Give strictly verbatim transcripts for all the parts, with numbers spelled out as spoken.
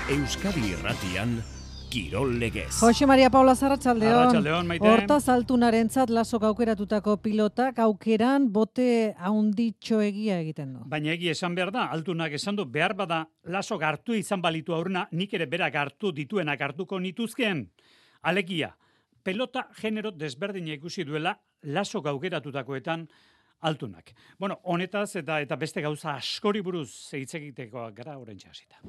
Euskadi Irratian, Kirol Legez. Jose Maria Paula Arratsaldeon. Arratsaldeon, Maite. Hortaz altunarentzat lasok aukeratutako pilotak aukeran bote handitxo egia egiten du. Baina egia esan behar da, altunak esan du, behar bada lasok hartu izan balitu aurrena, nik ere berak hartu dituenak hartuko nituzkeen. Alegia, pelota genero desberdina ikusi duela lasok aukeratutakoetan altunak. Bueno, honetaz eta eta beste gauza askori buruz hitz egiteko gara oraintxe hasita.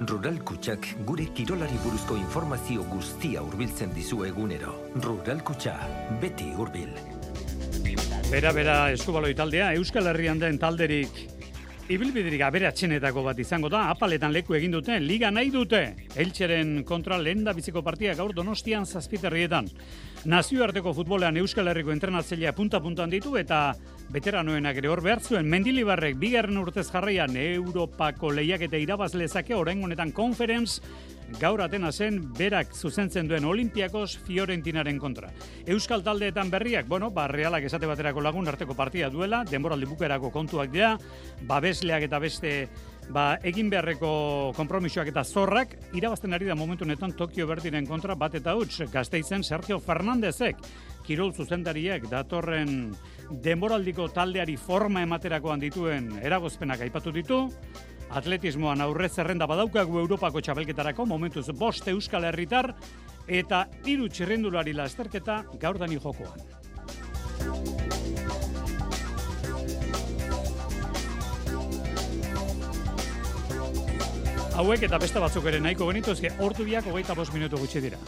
Rural Kutxak gure kirolari buruzko informazio guztia hurbiltzen dizu egunero. Rural Kutxa, beti hurbil. Bera, bera, eskubaloi taldea, Euskal Herrian den talderik ibilbiderik aberatsenetako bat izango da, apaletan leku egin dute, liga nahi dute. Eltzeren kontra lehen da biziko partia gaur Donostian zazpiterrietan. Nazioarteko futbolean Euskal Herriko entrenatzailea punta-puntan ditu eta veteranoenak ere hor behar zuen. Mendilibarrek bigarren urtez jarraian Europako lehiaketa irabazlezake orain honetan Conference gaur Atenasen berak zuzentzen duen Olympiakos Fiorentinaren kontra. Euskal taldeetan berriak, bueno, ba Realak esate baterako lagun arteko partia duela, denboraldi bukerako kontuak dira, babesleak eta beste ba egin beharreko konpromisoak eta zorrak irabazten ari da momentu honetan Tokio Berdiren kontra bat eta huts. Gasteizen Sergio Fernandezek kirol zuzendariak datorren denboraldiko taldeari forma ematerakoan dituen eragozpenak aipatu ditu. Atletismoan aurrez zerrenda badaukagu Europako txapelketarako momentuz bost Euskal Herritar eta hiru txirrindulari lasterketa gaur dani jokoan. Hauek eta beste batzuk ere nahiko genituzke ordu biak hogeita bost minutu gutxi dira.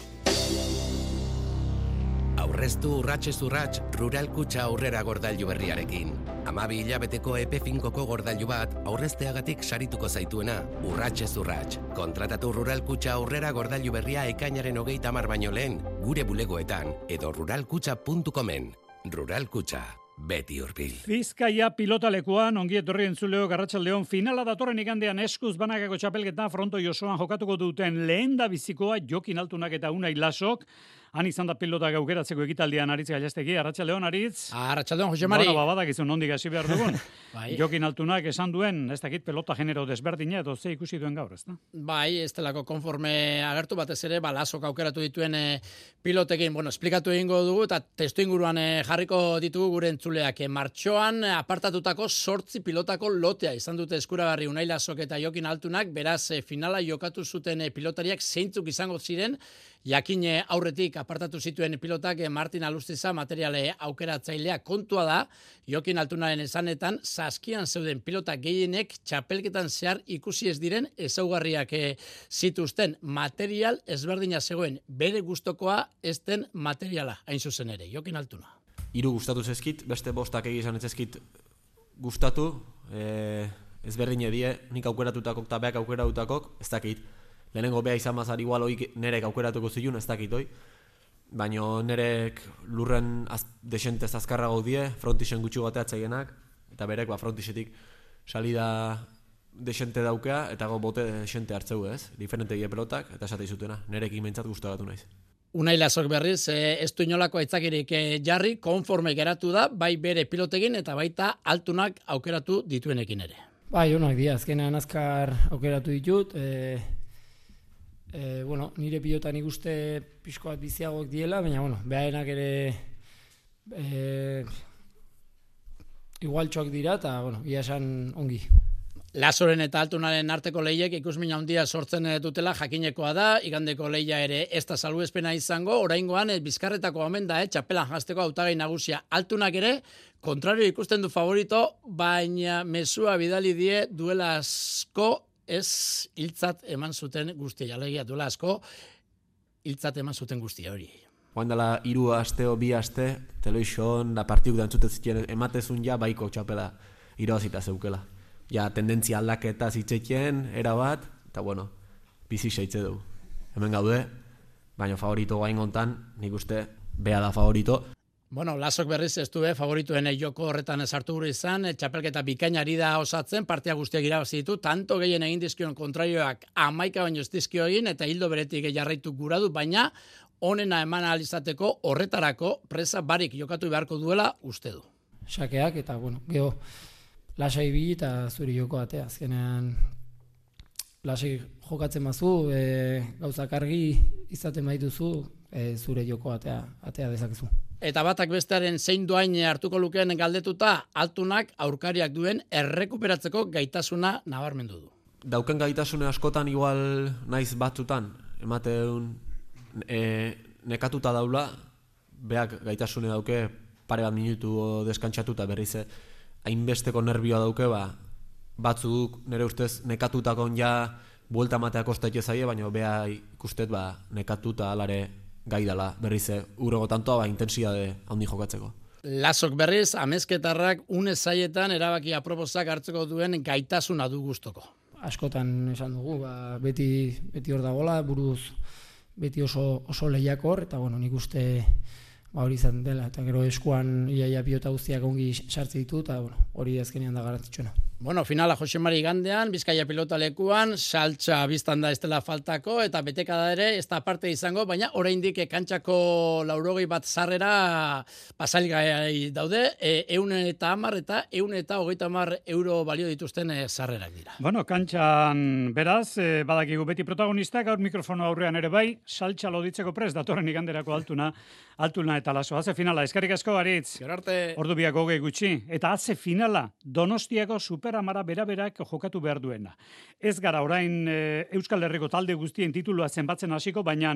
Aurreztu urratxez urratx Rural Kutxa aurrera gordailu berriarekin. Hamabi hilabeteko epe finkoko gordailu bat aurrezteagatik sarituko zaituena, urratxez urratx. Kontratatu Rural Kutxa aurrera gordailu berria ekainaren hogeita hamar baino lehen, gure bulegoetan edo ruralkutxa puntu comen. Rural Kutxa, beti hurbil. Bizkaia pilotalekuan ongi etorri entzuleo Arratsaldeon finala datorren igandean eskuz banakako txapelketa fronto Josoan jokatuko duten lehen da bizikoa Jokin Altunak eta Unai Lasok. Han izan da pilota gaukeratzeko ekitaldian Aritz Gallastegi. Arratsaldeon, Aritz. Arratsaldeon, Jose Mari. Bueno, babadakizu nondik hasi behar dugun. Bai. Jokin Altunak esan duen, ez dakit pelota genero desberdina edo ze ikusi duen gaur, ezta? Bai, ez delako konforme agertu batez ere, ba, Lasok aukeratu dituen e, pilotekin, bueno, esplikatu egingo dugu eta testu inguruan e, jarriko ditugu gure entzuleak. E, martxoan e, apartatutako sortzi pilotako lotea izan dute eskuragarri Unai Lasok eta Jokin Altunak, beraz e, finala jokatu zuten e, pilotariak zeintzuk izango ziren, jakin e, aurretik apartatu zituen pilotak e, Martin Alustiza materiale aukeratzailea kontua da, Jokin Altunaren esanetan, saskian zeuden pilota gehienek txapelketan zehar ikusi ez diren ezaugarriak e, zituzten material ezberdina zegoen, bere gustokoa ez den materiala, hain zuzen ere, Jokin Altuna. Hiru gustatu zezkit, beste bostak egizan ezkit gustatu, e, ezberdine die, nik aukeratutako eta beak aukeratutakok, ez dakit. Lehenengo beha izan mazar igual hoik nerek aukeratuko zilun, ez dakit hoi. Baina nerek lurren az, desentez azkarra gaudie, frontixen gutxu bateatzaienak, eta berek ba, frontisetik salida desente daukea, eta go bote desente hartzeu ez, diferente die pelotak, eta esate izutena, nerek imentzat gustagatu naiz. Unai Lasok berriz, e, ez du inolako aitzakirik e, jarri, konforme geratu da, bai bere pilotekin eta baita Altunak aukeratu dituenekin ere. Bai, onak dira, azkenean azkar aukeratu ditut, e... E, bueno, nire pilotan ikuste pixko bat biziagoak diela, baina, bueno, behaenak ere e, igualtxoak dira, eta, bueno, ia esan ongi. Lasoren eta Altunaren arteko lehiek ikusmin handia sortzen dutela jakinekoa da, igandeko lehia ere ez da salbuespena izango, oraingoan e, Bizkarretako omen da, e, txapelan jazteko hautagai nagusia Altunak ere, kontrario ikusten du favorito, baina mezua bidali die duela asko, ez hiltzat eman zuten guztia, alegia duela asko, hiltzat eman zuten guztia hori. Joan dela hiru aste o bi aste, television, da partiuk dantzuten zitien, ematezun ja baiko txapela irabazita zeukela. Ja, tendentzia aldaketa zitzetien, erabat, eta bueno, bizi seitze dugu. Hemen gaude, baina favorito gain gontan, nik uste, bea da favorito. Bueno, Lasok berriz ez du favorituen joko horretan esartu gure izan, txapelketa bikainari da osatzen, partia guztiak irabazi ditu, tanto gehien egin dizkion kontraioak amaika baino ez dizkio egin, eta hildo beretik jarraitu gura du, baina onena eman ahal izateko horretarako presa barik jokatu beharko duela uste du. Sakeak eta, bueno, geho, lasai bi eta zuri joko atea, azkenean lasik jokatzen mazu, e, gauzak argi izaten maituzu, e, zure joko atea, atea dezakezu. Eta batak bestearen zein doain hartuko lukeen galdetuta, altunak aurkariak duen errekuperatzeko gaitasuna nabarmendu du. Dauken gaitasune askotan igual naiz batzutan, ematen e, nekatuta daula, beak gaitasune dauke pare bat minutu deskantzatuta berriz hainbesteko nervioa dauke, ba, batzuk nire ustez nekatutakon ja buelta matea kostaitze zaie, baina bea ikustet ba, nekatuta alare gai dela berriz urrego tantoa ba, intensidade handi jokatzeko. Lasok berriz, amezketarrak une zaietan erabaki aproposak hartzeko duen gaitasuna du gustoko. Askotan esan dugu, ba, beti, beti hor dagoela, buruz beti oso, oso lehiakor, eta bueno, nik uste ba, hori izan dela, eta gero eskuan iaia pilota guztiak ongi sartze ditu, eta bueno, hori azkenean da garrantzitsuena. Bueno, finala Jose Mari gandean, Bizkaia pilota lekuan, saltza biztan da ez dela faltako, eta betekada ere ez da parte izango, baina oraindik kantxako laurogei bat sarrera pasalgai daude, e, eun eta hamar eta eun eta hogeita hamar euro balio dituzten e, sarrerak dira. Bueno, kantxan beraz, e, badakigu beti protagonistak, gaur mikrofono aurrean ere bai, saltza loditzeko prest, datorren iganderako altuna, altuna eta laso. Haze finala, eskerrik asko Aritz. Gero arte. Ordu biak hogei gutxi. Eta haze finala, Donostiako Superamara beraberak jokatu behar duena. Ez gara orain e, Euskal Herriko talde guztien titulua zenbatzen hasiko, baina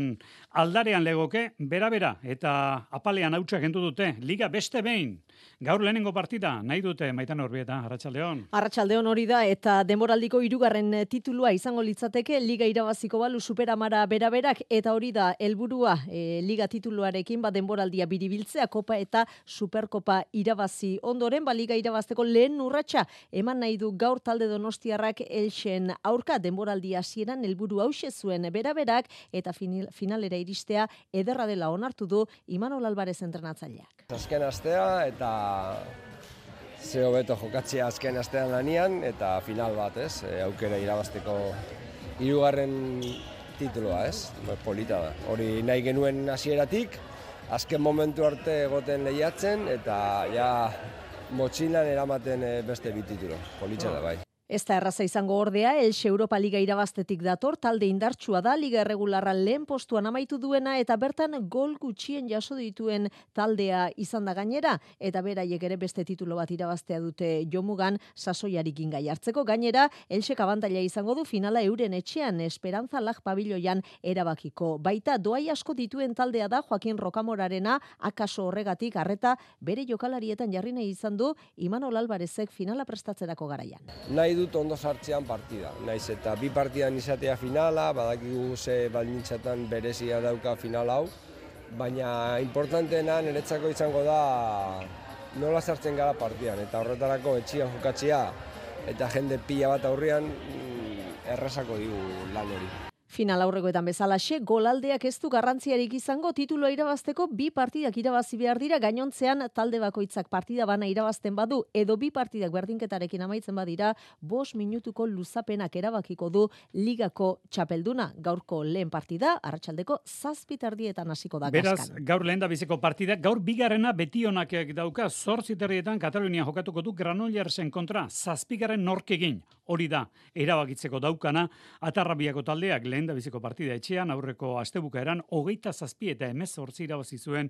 aldarean legoke berabera eta apalean hautsak kendu dute. Liga beste behin. Gaur lehenengo partida nahi dute Maitan Orbieta, Arratsaldeon. Arratsaldeon hori da eta denboraldiko hirugarren titulua izango litzateke Liga irabaziko balu Superamara beraberak eta hori da helburua e, Liga tituluarekin ba denboraldia biribiltzea Kopa eta Superkopa irabazi ondoren ba Liga irabazteko lehen urratsa eman nahi du gaur talde donostiarrak Elxen aurka denboraldi hasieran helburu hauxe zuen beraberak eta final, finalera iristea ederra dela onartu du Imanol Alvarez entrenatzaileak. Azken astea eta ze hobeto jokatzea azken astean lanian eta final bat, ez? E, aukera irabazteko hirugarren titulua, ez? Polita da. Hori nahi genuen hasieratik, azken momentu arte egoten lehiatzen eta ja motxilan eramaten beste bi titulo. Politxa da bai. Ez da erraza izango ordea, Elxe Europa Liga irabaztetik dator, talde indartsua da, Liga erregularra lehen postuan amaitu duena, eta bertan gol gutxien jaso dituen taldea izan da gainera, eta beraiek ere beste titulo bat irabaztea dute jomugan, sasoiarekin gai hartzeko. Gainera, Elxek abantaila izango du finala euren etxean, Esperanza Lag pabiloian erabakiko. Baita, doai asko dituen taldea da, Joaquin Rokamorarena, akaso horregatik, arreta bere jokalarietan jarri nahi izan du, Imanol Alvarezek finala prestatzerako garaian. Nahi dut ondo sartzean partida. Naiz eta bi partidan izatea finala, badakigu ze baldintzatan berezia dauka final hau, baina importanteena niretzako izango da nola sartzen gara partidan, eta horretarako etxian jokatzea eta jende pila bat aurrean errazako digu lan hori. Final aurrekoetan bezalaxe, golaldeak ez du garrantziarik izango titulua irabazteko bi partidak irabazi behar dira, gainontzean talde bakoitzak partida bana irabazten badu edo bi partidak berdinketarekin amaitzen badira, bost minutuko luzapenak erabakiko du ligako txapelduna. Gaurko lehen partida, arratsaldeko zazpi terdietan hasiko da Beraz, gaskan. gaur lehen da biziko partida, gaur bigarrena betionak dauka, zortzi terdietan Katalunian jokatuko du Granollersen kontra, zazpigarren nork egin, hori da, erabakitzeko daukana, Atarrabiako taldeak lehen da biziko partida etxean, aurreko astebukaeran, hogeita zazpi eta hemezortzi irabazi zuen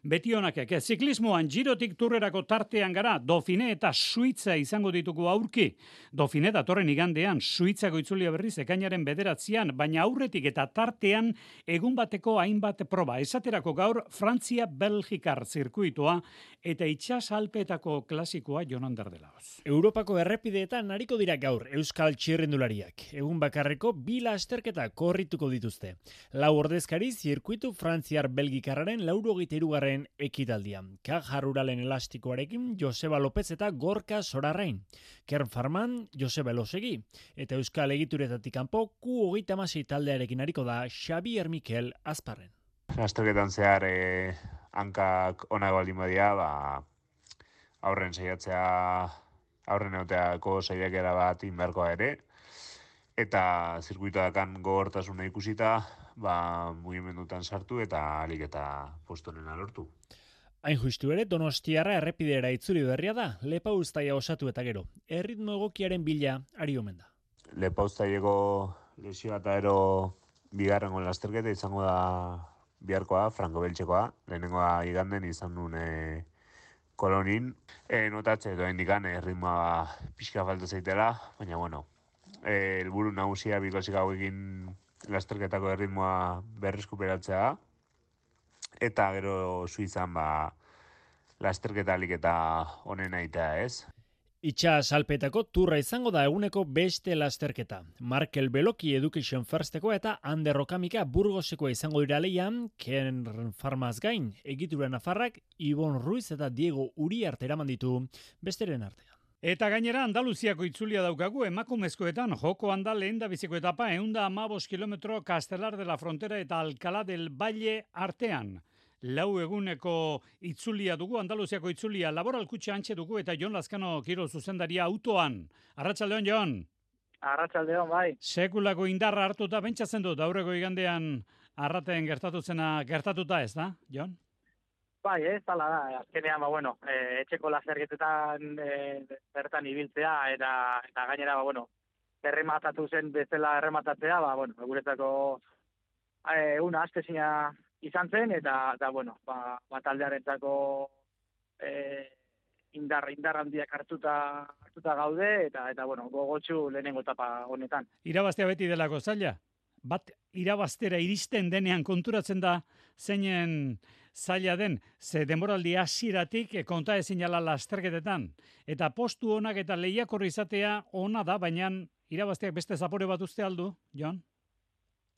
betionakek. Ziklismoan girotik turrerako tartean gara, Dofine eta Suitza izango ditugu aurki. Dofine datorren igandean, Suitzako itzulia berriz ekainaren bederatzian, baina aurretik eta tartean egun bateko hainbat proba. Esaterako gaur, Frantzia-Belgikar zirkuitoa eta itsas alpeetako klasikoa Jonan Derdelaoz. Europako errepideetan ariko dira gaur Euskal txirrindulariak. Egun bakarreko bi lasterketa korrituko dituzte. Lau ordezkari zirkuitu Frantziar Belgikarraren laurogeita hirugarren ekitaldian. Kajar Uralen elastikoarekin Joseba Lopez eta Gorka Sorarrain. Kern Farman Joseba Elosegi. Eta Euskal egituretatik kanpo Q hogeita hamasei taldearekin ariko da Xabier Mikel Azparren. Lasterketan zehar eh, hankak onak baldin badia, ba, aurren saiatzea, aurren egoteako saiakera bat inberkoa ere, eta zirkuitoakan gogortasuna ikusita, ba, mugimendutan sartu eta alik eta postonena lortu. Hain justu ere, Donostiarra errepideera itzuli berria da, Lepauztaia osatu eta gero. Erritmo egokiaren bila ari omen da. Lepauztaieko Lesioa eta ero bigarrengo lasterketa izango da biharkoa, Franco Beltxekoa. Lehenengoa iganden izan duen e, Kolonin. E, notatze edo indikan e, ritmoa pixka falta zaitela, baina bueno, e, helburu nagusia bikosik hauekin lasterketako erritmoa berreskuperatzea, eta gero Suizan ba, lasterketa alik eta honen aitea, ez? Itxa salpetako turra izango da eguneko beste lasterketa. Markel Beloki Education Firsteko eta Ander Okamika Burgosekoa izango dira leian, Ken Farmaz gain, egitura nafarrak, Ibon Ruiz eta Diego Uriarte eraman ditu besteren artean. Eta gainera Andaluziako itzulia daukagu emakumezkoetan joko handa lehen da biziko etapa eunda amabos kilometro Castelar de la Frontera eta Alcalá del Valle artean. Lau eguneko itzulia dugu, Andaluziako itzulia, Laboral Kutxa antxe dugu eta Jon Lazkano Kirol zuzendaria autoan. Arratsaldeon, Jon. Arratsaldeon, bai. Sekulako indarra hartuta bentsatzen dut, aurreko igandean arraten gertatu zena gertatuta ez da, Jon? Bai, ez, tala da. Azkenean, ba, bueno, e, etxeko lasterketetan e, bertan ibiltzea eta, eta gainera, ba, bueno, errematatu zen bezala errematatzea, ba, bueno, guretzako e, una astezina izan zen, eta, eta bueno, ba, ba taldearentzako e, indar, indar handiak hartuta, hartuta gaude, eta, eta bueno, gogotsu lehenengo etapa honetan. Irabaztea beti delako zaila? Bat irabaztera iristen denean konturatzen da zeinen zaila den, ze denboraldi hasieratik konta ezin ala lasterketetan. Eta postu onak eta lehiakor izatea ona da, baina irabazteak beste zapore bat uste aldu, Jon?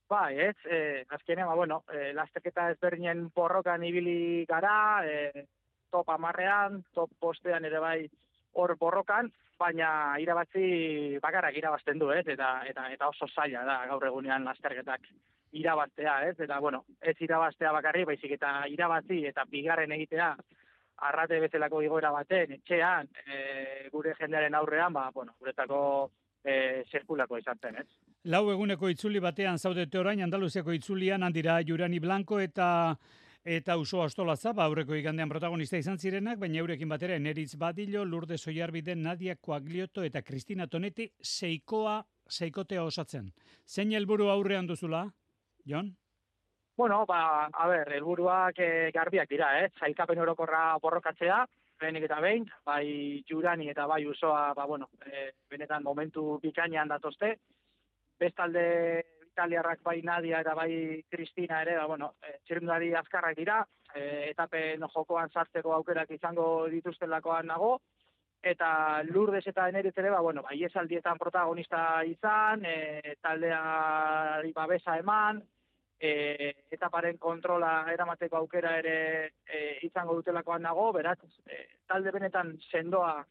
Bai, ez, eh, azkenean, ba, bueno, eh, lasterketa ezberdinen porrokan ibili gara, eh, top amarrean, top postean ere bai hor borrokan, baina irabazi bakarrak irabazten du, ez, eta, eta, eta oso zaila da gaur egunean lasterketak irabaztea, ez, eta, bueno, ez irabaztea bakarri, baizik eta irabazi eta bigarren egitea arrate bezalako igoera baten, etxean, e, gure jendearen aurrean, ba, bueno, guretako e, zirkulako izan zen, ez. Lau eguneko itzuli batean zaudete orain, Andaluziako itzulian handira Jurani Blanco eta eta Uso Astolatza, ba, aurreko igandean protagonista izan zirenak, baina eurekin batera Eneritz Badillo, Lourdes Oiarbide, Nadia Coaglioto eta Cristina Tonetti seikoa, seikotea osatzen. Zein helburu aurrean duzula, Jon? Bueno, ba, a ber, helburuak eh, garbiak dira, eh? Sailkapen orokorra borrokatzea, lehenik eta behin, bai Jurani eta bai Usoa, ba, bueno, eh, benetan momentu bikainean datozte. Bestalde italiarrak bai Nadia eta bai Cristina ere, ba, bueno, e, txirrindulari azkarrak dira, e, etapen jokoan sartzeko aukerak izango dituztelakoan nago, eta Lourdes eta Eneritz ere, ba, bueno, ba, iesaldietan protagonista izan, e, taldeari babesa eman, e, etaparen kontrola eramateko aukera ere e, izango dutelakoan nago, beraz, e, talde benetan sendoa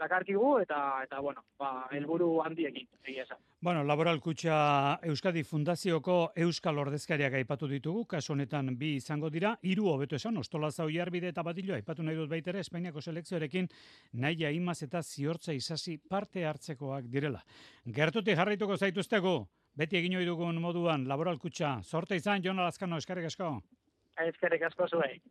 dakarkigu eta eta bueno, ba helburu handiekin egia esan. Bueno, Laboral Kutxa Euskadi Fundazioko euskal ordezkariak aipatu ditugu, kasu honetan bi izango dira, hiru hobeto esan, Ostolatza Oiarbide eta Badillo aipatu nahi dut baita ere Espainiako selekzioarekin Naia Imaz eta Ziortza Isasi parte hartzekoak direla. Gertutik jarraituko zaituztegu, beti egin ohi dugun moduan Laboral Kutxa. Zorte izan, Jon Lazkano, eskerrik asko. Eskerrik asko zuei.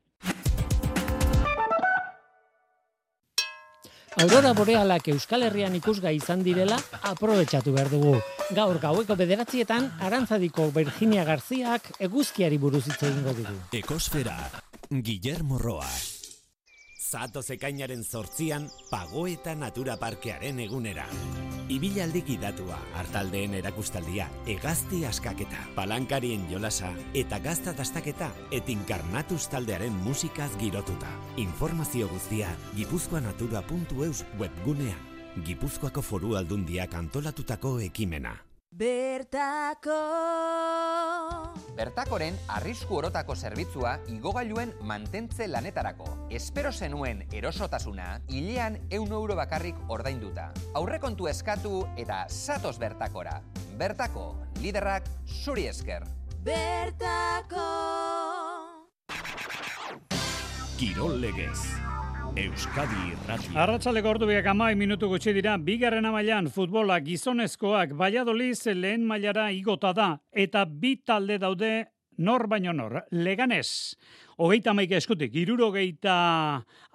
Aurora borealak Euskal Herrian ikusgai izan direla aprobetxatu behar dugu. Gaur gaueko bederatzietan Arantzadiko Virginia Garziak eguzkiari buruz hitz egingo digu. Ekosfera, Guillermo Roa. Zatoz ekainaren zortzian, Pagoeta Natura Parkearen egunera. Ibilaldi gidatua, hartaldeen erakustaldia, hegazti askaketa, palankarien jolasa eta gazta dastaketa etinkarnatuz taldearen musikaz girotuta. Informazio guztia gipuzkoanatura puntu eus webgunean. Gipuzkoako Foru Aldundiak antolatutako ekimena. Bertako. Bertakoren arrisku orotako zerbitzua igogailuen mantentze lanetarako. Espero zenuen erosotasuna, hilean ehun euro bakarrik ordainduta. Aurrekontu eskatu eta zatoz Bertakora. Bertako, liderrak zuri esker. Bertako. Kirol Legez. Euskadi Irratia. Arratsaleko ordubiak hamaika minutu gutxi dira, bigarren mailan futbola gizonezkoak Valladolid lehen mailara igota da eta bi talde daude nor baino nor. Leganés hogeita hamaika eskutik, irurogeita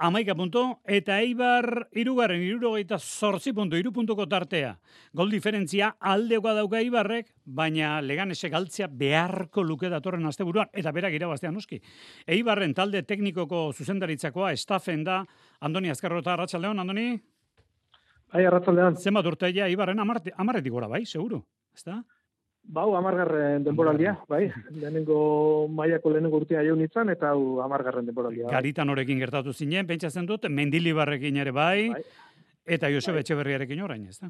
hamaika puntu, eta Eibar irugarren, irurogeita zortzi puntu, iru puntuko tartea. Gol diferentzia aldekoa dauka Eibarrek, baina Leganesek galtzea beharko luke datorren asteburuan, eta berak irabaztea noski. Eibarren talde teknikoko zuzendaritzakoa, estafen da, Andoni Azkarrota, Arratsaldeon, Andoni? Bai, Arratsaldeon. Zenbat urteia Eibarren amarretik gora, bai, seguru, ezta? Bau, amargarren denboraldia, bai. Lehenengo mailako lehenengo urtea jaun nintzen, eta hau amargarren denboraldia. Bai. Garitan horekin gertatu zinen, pentsatzen dut, Mendilibarrekin ere bai, bai. Eta Joseba bai. Etxeberriarekin orain, ez da?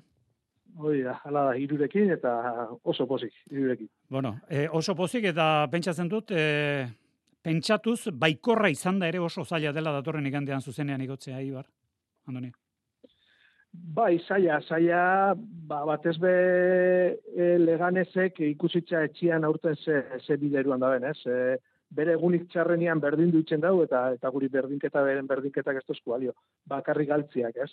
Hoi da, hala da, irurekin, eta oso pozik, irurekin. Bueno, e, oso pozik, eta pentsatzen dut, e, pentsatuz, baikorra izan da ere oso zaila dela datorren igandean zuzenean igotzea, Ibar, Andoni. Bai, saia, saia, ba, batez be e, Leganesek ikusitza etxian aurten ze, ze bideruan da ben, ez? E, bere egunik txarrenian berdin duitzen dau, eta eta guri berdinketa beren berdinketak ez tozku balio, bakarri galtziak, ez?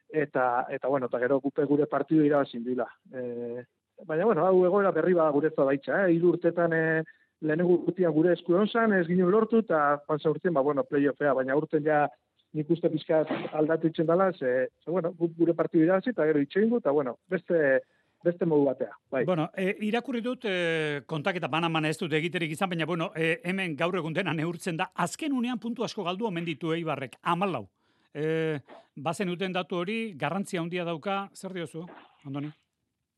Eta, eta bueno, eta gero gupe gure partidu irabazin dila. E, baina, bueno, hau egoera berri bada guretza baitza, eh? Hiru urtetan e, lehenengo urtean gure esku onzan, ez ginen lortu, eta panza urtean, ba, bueno, playoffea, baina urten ja nik uste pizkat aldatu itzen dela, ze, ze bueno, gure partidu irabazi, eta gero itxeingu, eta bueno, beste, beste modu batea. Bai. Bueno, e, irakurri dut, e, kontaketa banan-bana ez dut egiterik izan, baina bueno, e, hemen gaur egun dena neurtzen da, azken unean puntu asko galdu omen ditu Eibarrek, hamalau. E, bazen uten datu hori, garrantzia handia dauka, zer diozu, Andoni?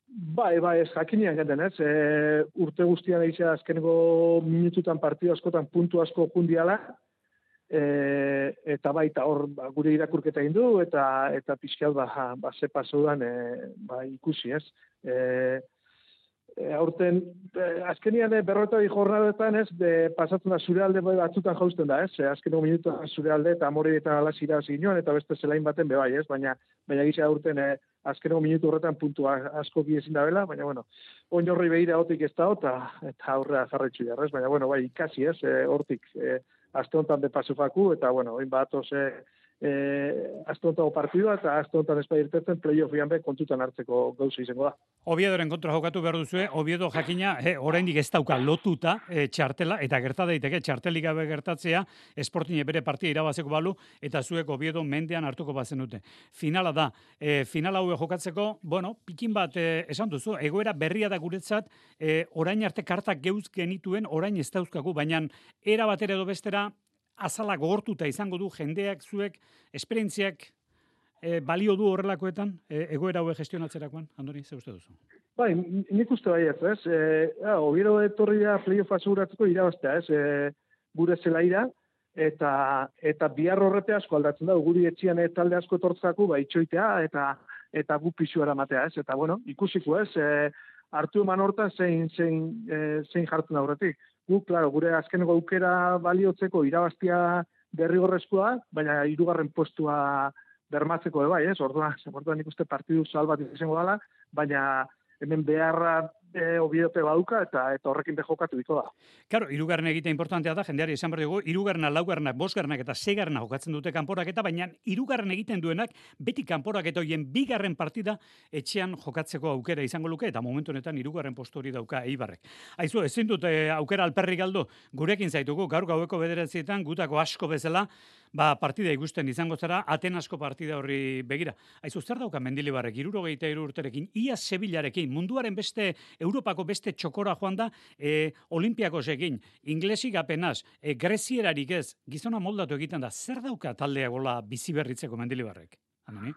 Bai, bai, ez jakinean genden, ez? E, urte guztian egizia azkeneko minututan partidu askotan puntu asko jundiala, E, eta baita hor ba, gure irakurketa egin du eta eta pixkat ba ba ze pasaudan e, ba ikusi, ez. E, e, aurten e, azkenian berrota bi jornadetan, ez, de pasatzen da zure alde batzutan jausten da, ez. E, azkeneko minutuan zure alde eta Amore eta Alasira zinoan eta beste zelain baten be bai, ez, baina baina gisa aurten e, azkeneko minutu horretan puntua asko bi ezin dabela, baina bueno, oinorri begira hotik ez da eta eta aurrea jarraitzu jarrez, baina bueno, bai ikasi, ez, e, hortik e, aste honetan de paso faku, eta, bueno, oin bat, ose, e, aste honetako partidua, eta aste honetan ez bairtetzen play-offian be kontutan hartzeko gauza izango da. Oviedoren kontra jokatu behar duzue, Oviedo jakina, e, oraindik ez dauka lotuta e, txartela, eta gerta daiteke txartelik gabe gertatzea, Sporting bere partia irabazeko balu, eta zuek Oviedo mendean hartuko bazenute. Finala da, e, finala hau jokatzeko, bueno, pikin bat e, esan duzu, egoera berria da guretzat, e, orain arte kartak geuz genituen, orain ez dauzkagu, baina era batera edo bestera, azala gogortuta izango du jendeak zuek esperientziak e, balio du horrelakoetan e, egoera hauek gestionatzerakoan, Andoni, ze uste duzu? Bai, nik uste bai ez, ez? E, ja, Oviedo etorri da playoff aseguratzeko irabaztea, ez? E, gure zelaira, eta eta bihar horrete asko aldatzen da, guri etxian e, talde asko etortzako, ba, itxoitea, eta eta gu pisu eramatea, ez? Eta, bueno, ikusiko, ez? E, hartu eman hortan zein, zein, e, zein jartzen aurretik. Gu, claro, gure azkeneko aukera baliotzeko irabaztia derrigorrezkoa, baina hirugarren postua bermatzeko bai, ez? Orduan, orduan ikuste partidu zal bat izango dela, baina hemen beharra e, Oviedope baduka eta eta horrekin behokatu diko da. Claro, hirugarren egitea importantea da, jendeari esan behar dugu, hirugarrena, laugarrenak, bosgarrenak eta seigarrena jokatzen dute kanporaketa, baina hirugarren egiten duenak beti kanporaketa hoien bigarren partida etxean jokatzeko aukera izango luke, eta momentu honetan hirugarren postu hori dauka Eibarrek. Aizu, ezin dute aukera alperrik galdu, gurekin zaitugu, gaur gaueko bederatzietan, gutako asko bezala, ba, partida ikusten izango zara, Atenasko partida horri begira. Aizu, zer dauka Mendilibarrek, hirurogeita hiru urterekin, ia Sevillarekin, munduaren beste, Europako beste txokora joan da, e, Olimpiakosekin, inglesik apenas, e, grezierarik ez, gizona moldatu egiten da, zer dauka taldea gola bizi berritzeko Mendilibarrek? Andoni?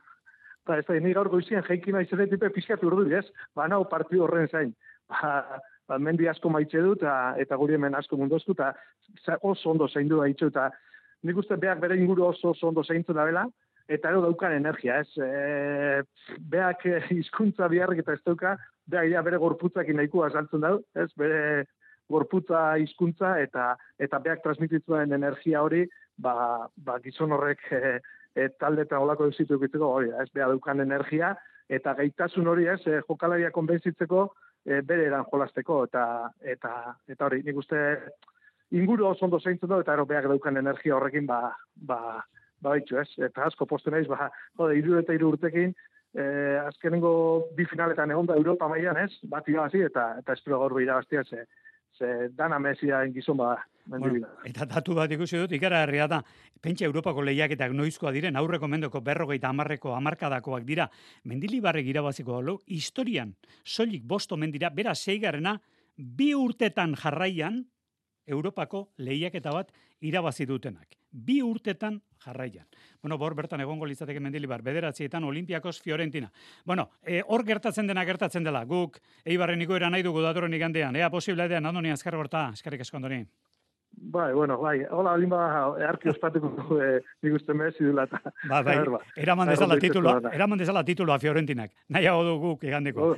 Ba, ez da, ni gaur goizien jeiki nahi zeretipe pixkat urdu, ez? Ba, nau partidu horren zain. Ba, ba, mendi asko maitxe du, eta, eta guri hemen asko mundozku, eta oso ondo zein du haitxo, eta nik uste beak bere inguru oso oso ondo zeintzen da bela, eta ero daukan energia, ez? E, beak hizkuntza biharrik eta ez dauka, beak ja bere gorputzakin nahikoa saltzen dau, ez? Bere gorputza hizkuntza eta eta beak transmititzen energia hori, ba, ba gizon horrek e, e, talde eta olako eusitu egiteko hori, ez? Beak daukan energia, eta gaitasun hori, ez? E, jokalaria konbentzitzeko e, bere eran jolasteko, eta, eta, eta hori, nik uste inguru oso ondo zeintzen da, eta ero beak daukan energia horrekin, ba, ba, ba baitxu, ez? Eta asko postu naiz, ba, jode, iru eta iru urtekin, eh, azkenengo bi finaletan egon da Europa mailan, ez? Bat irabazi, eta, eta espero gaur irabaztia, ze, ze dana mesiaen gizon bada. Bueno, eta datu bat ikusi dut, ikaragarria da, pentsa Europako lehiaketak noizkoa diren, aurreko mendoko berrogeita hamarreko hamarkadakoak dira, Mendilibarrek irabaziko dalu, historian, soilik bost omen dira, bera seigarrena, bi urtetan jarraian, Europako lehiaketa bat irabazi dutenak. Bi urtetan jarraian. Bueno, bor bertan egongo litzateke Mendilibar, bederatzietan Olimpiakos Fiorentina. Bueno, e, hor gertatzen dena gertatzen dela, guk Eibarren igoera nahi dugu datorren igandean, ea posible edean, Andoni, azkar gorta, eskerrik asko, Andoni. Bai, bueno, bai, hola, alin bada, earki ospatuko eh, nik uste mezi dula. Ba, bai, eraman dezala titulua, eraman dezala titulua Fiorentinak. Nahiago du guk igandeko.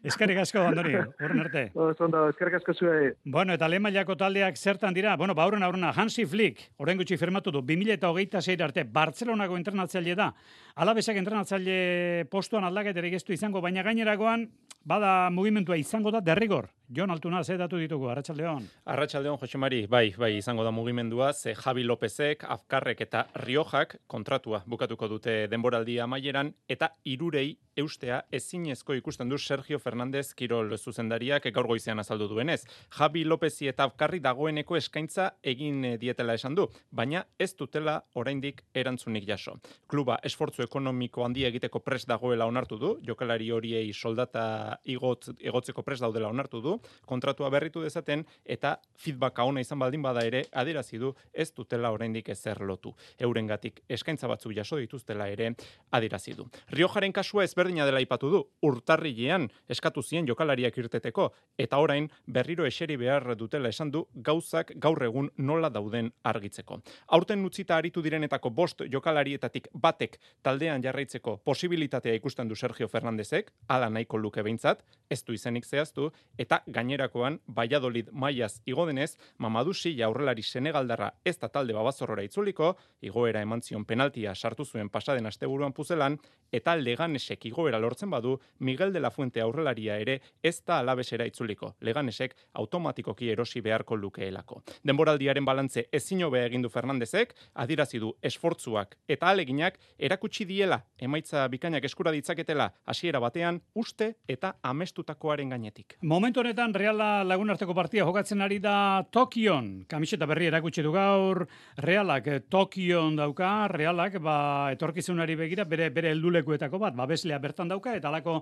Eskerrik asko, Andoni, horren arte. Zondo, eskerrik asko zuei. Bueno, eta lehen mailako taldeak zertan dira, bueno, ba, horren aurrena, Hansi Flick, orain gutxi firmatu du, bi mila eta hogeita sei arte, Bartzelonako entrenatzaile da, Alabesak entrenatzaile postuan aldaketarik ez du izango, baina gainerakoan, bada mugimentua izango da derrigor. Jon Altuna, ze datu ditugu, Arratsaldeon. Arratsaldeon, Jose Mari, bai, bai, izango da mugimendua, ze Javi Lopezek, Afkarrek eta Riojak kontratua bukatuko dute denboraldia amaieran, eta hirurei eustea ezinezko ikusten du Sergio Fernandez Kirol zuzendariak gaur goizean azaldu duenez. Javi Lopezi eta Afkarri dagoeneko eskaintza egin dietela esan du, baina ez dutela oraindik erantzunik jaso. Kluba esfortzu ekonomiko handia egiteko prest dagoela onartu du, jokalari horiei soldata igot, igotzeko prest daudela onartu du, kontratua berritu dezaten eta feedbacka ona izan baldin bada ere adierazi du ez dutela oraindik ezer lotu. Eurengatik eskaintza batzuk jaso dituztela ere adierazi du. Riojaren kasua ezberdina dela aipatu du. Urtarrilean eskatu zien jokalariak irteteko eta orain berriro eseri behar dutela esan du gauzak gaur egun nola dauden argitzeko. Aurten utzita aritu direnetako bost jokalarietatik batek taldean jarraitzeko posibilitatea ikusten du Sergio Fernandezek, hala nahiko luke behintzat, ez du izenik zehaztu, eta gainerakoan Valladolid mailaz igo denez, Mamadou Silla aurrelari senegaldarra ez da talde babazorrora itzuliko, igoera eman zion penaltia sartu zuen pasaden asteburuan Puzelan, eta Leganesek igoera lortzen badu, Miguel de la Fuente aurrelaria ere ez da Alavesera itzuliko. Leganesek automatikoki erosi beharko lukeelako. Denboraldiaren balantze ezin hobea egin du Fernandezek, adierazi du esfortzuak eta aleginak erakutsi diela emaitza bikainak eskura ditzaketela hasiera batean uste eta amestutakoaren gainetik. Momentu honetan Reala Lagunarteko partia jokatzen ari da Tokion. Kamiseta berri erakutsi du gaur. Realak Tokion dauka, Realak ba etorkizunari begira bere bere heldulekuetako bat, babeslea bertan dauka eta halako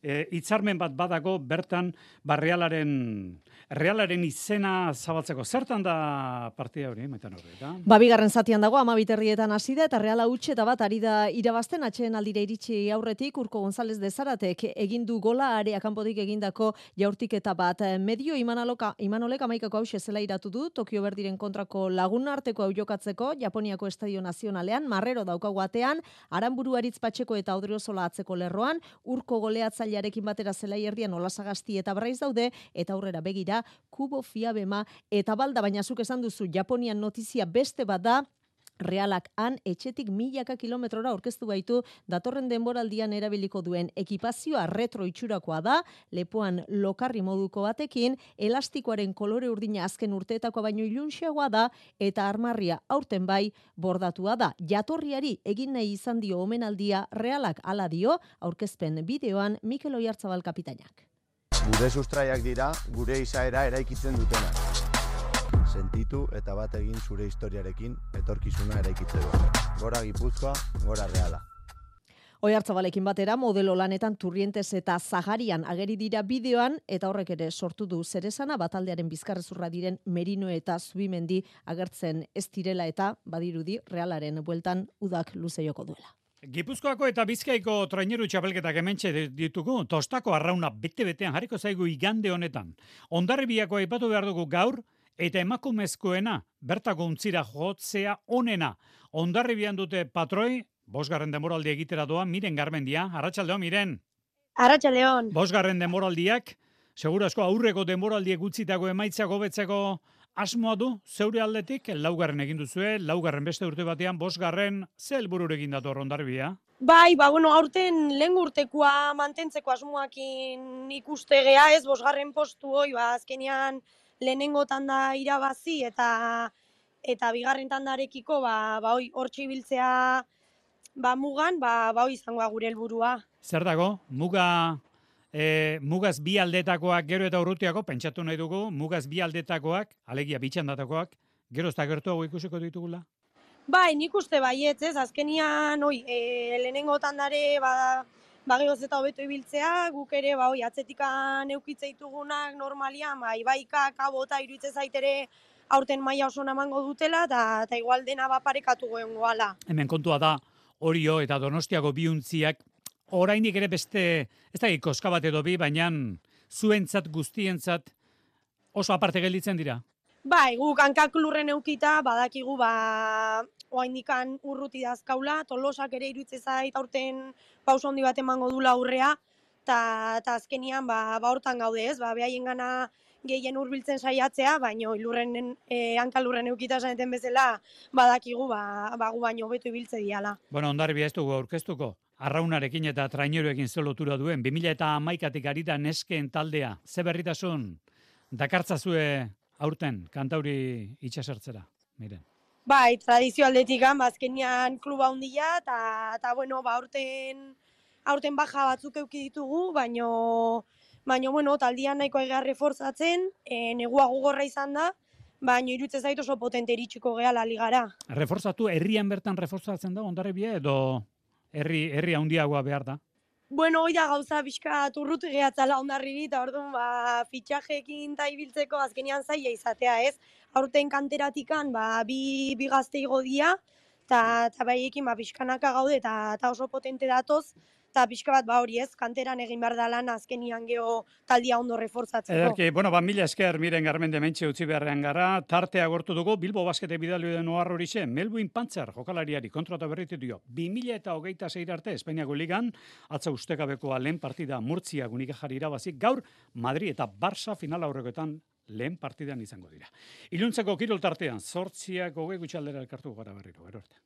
e, hitzarmen bat badako bertan ba Realaren Realaren izena zabaltzeko. Zertan da partida hori, Maitan Horreta? Ba, bigarren zatian dago, amabiterrietan hasi da, eta Reala huts eta bat ari da irabazten, atxeen aldira iritsi aurretik, Urko González de Zaratek egin du gola, area kanpotik egindako jaurtik eta bat. Medio Imanaloka, Imanolek amaikako hause zela iratu du, Tokio Berdiren kontrako Laguna arteko hau jokatzeko, Japoniako Estadio Nazionalean, Marrero daukagu atean, Aranburu Aritz Patxeko eta Odriozola atzeko lerroan, Urko goleatzailearekin batera zelai erdian Olasagasti eta Braiz daude, eta aurrera begira, Kubo Fiabema eta Balda, baina zuk esan duzu Japonian notizia beste bat da, Realak han etxetik milaka kilometrora aurkeztu baitu datorren denboraldian erabiliko duen ekipazioa retro itxurakoa da, lepoan lokarri moduko batekin, elastikoaren kolore urdina azken urteetakoa baino ilunxeagoa da, eta armarria aurten bai bordatua da. Jatorriari egin nahi izan dio omenaldia Realak hala dio, aurkezpen bideoan Mikel Oiartzabal kapitainak. Gure sustraiak dira, gure izaera eraikitzen dutenak. Sentitu eta bat egin zure historiarekin etorkizuna eraikitzeko. Gora Gipuzkoa, gora Reala. Oiartzabalekin batera, modelo lanetan Turrientes eta Zaharian ageri dira bideoan, eta horrek ere sortu du zeresana, bataldearen bizkarrezurra diren Merino eta Zubimendi agertzen ez direla eta badirudi Realaren bueltan udak luze joko duela. Gipuzkoako eta Bizkaiko traineru txapelketak hementxe ditugu, Tostako arrauna bete-betean jarriko zaigu igande honetan. Hondarribiako aipatu behar dugu gaur, eta emakumezkoena bertako untzira jotzea onena. Hondarribian dute patroi, bosgarren denboraldi egitera doa, Miren Garmendia. Arratsaldeon, Miren. Arratsaldeon. Bosgarren denboraldiak, segura asko aurreko denboraldiek utzitako emaitzak hobetzeko asmoa du, zeure aldetik, laugarren egin duzue, laugarren beste urte batean, bosgarren, ze helbururekin dator Hondarribia? Bai, ba, bueno, aurten lehen urtekoa mantentzeko asmoakin ikuste gea, ez, bosgarren postu hoi, ba, azkenean lehenengo tanda irabazi eta eta bigarren tandarekiko, ba, ba, hoi, hortxe ibiltzea, ba, mugan, ba, ba, hoi izangoa gure helburua. Zer dago, muga E, mugaz bi aldetakoak gero eta urrutiako, pentsatu nahi dugu, mugaz bi aldetakoak, alegia bitxandatakoak, gero eta gertuago ikusiko ditugula? Bai, nik uste baietz, ez, azkenian, oi, e, lehenengo tandare, ba, bageoz eta hobeto ibiltzea, guk ere, ba, oi, atzetikan eukitze ditugunak normalian, ba, ibaika, kabota, iruitze zaitere, aurten maila oso namango dutela, eta igual dena baparekatu goen goala. Hemen kontua da, Orio eta Donostiako biuntziak, orainik ere beste, ez da koska bat edo bi, baina zuentzat, guztientzat, oso aparte gelditzen dira. Bai, guk hankak lurren eukita, badakigu, ba, oaindikan urruti dazkaula, Tolosak ere iruitze zait, aurten pauso handi bat emango dula aurrea, eta azkenian, ba, ba hortan gaude ez, ba, behaien gana gehien hurbiltzen saiatzea, baino lurren, e, hanka lurren eukita zaneten bezala, badakigu, ba, ba gu baino hobeto ibiltze diala. Bueno, Hondarribia ez dugu aurkeztuko. Arraunarekin eta traineroekin ze lotura duen, bi mila hamaikatik ari da nesken taldea. Ze berritasun dakartzazue aurten kantauri itxasertzera, miren. Bai, tradizio aldetik azkenian kluba handia, eta, bueno, ba, aurten, aurten baja batzuk euki ditugu, baino, baino, bueno, taldian nahiko egar reforzatzen, e, negua gogorra izan da, baino irutze zait oso potente iritsiko gehala ligara. Reforzatu, herrian bertan reforzatzen da, Hondarribia, edo herri, herri handiagoa behar da? Bueno, hoi da gauza pixka turrut gehatzala Hondarribi, eta orduan, ba, fitxajekin ta ibiltzeko azkenean zaila izatea, ez? Aurten kanteratikan, ba, bi, bi gazte igo dia, eta baiekin, ba, pixkanaka gaude, eta oso potente datoz, eta pixka bat, ba, hori ez, kanteran egin behar da lan azkenian geho taldia ondo reforzatzeko. Ederki, bueno, ba, mila esker, miren Garmende mentxe utzi beharrean gara, tartea gortu dugu, Bilbo Baskete bidalio den ohar horixe, Melvin Pantzer jokalariari kontrata berritu dio, bi mila eta hogeita zeir arte Espainiako ligan, atza ustekabekoa lehen partida Murtzia Unikajari irabazik, gaur Madrid eta Barça final aurrekoetan lehen partidan izango dira. Iluntzeko kirol tartean, zortziak hogei gutxaldera elkartu gara berriro, gero arte.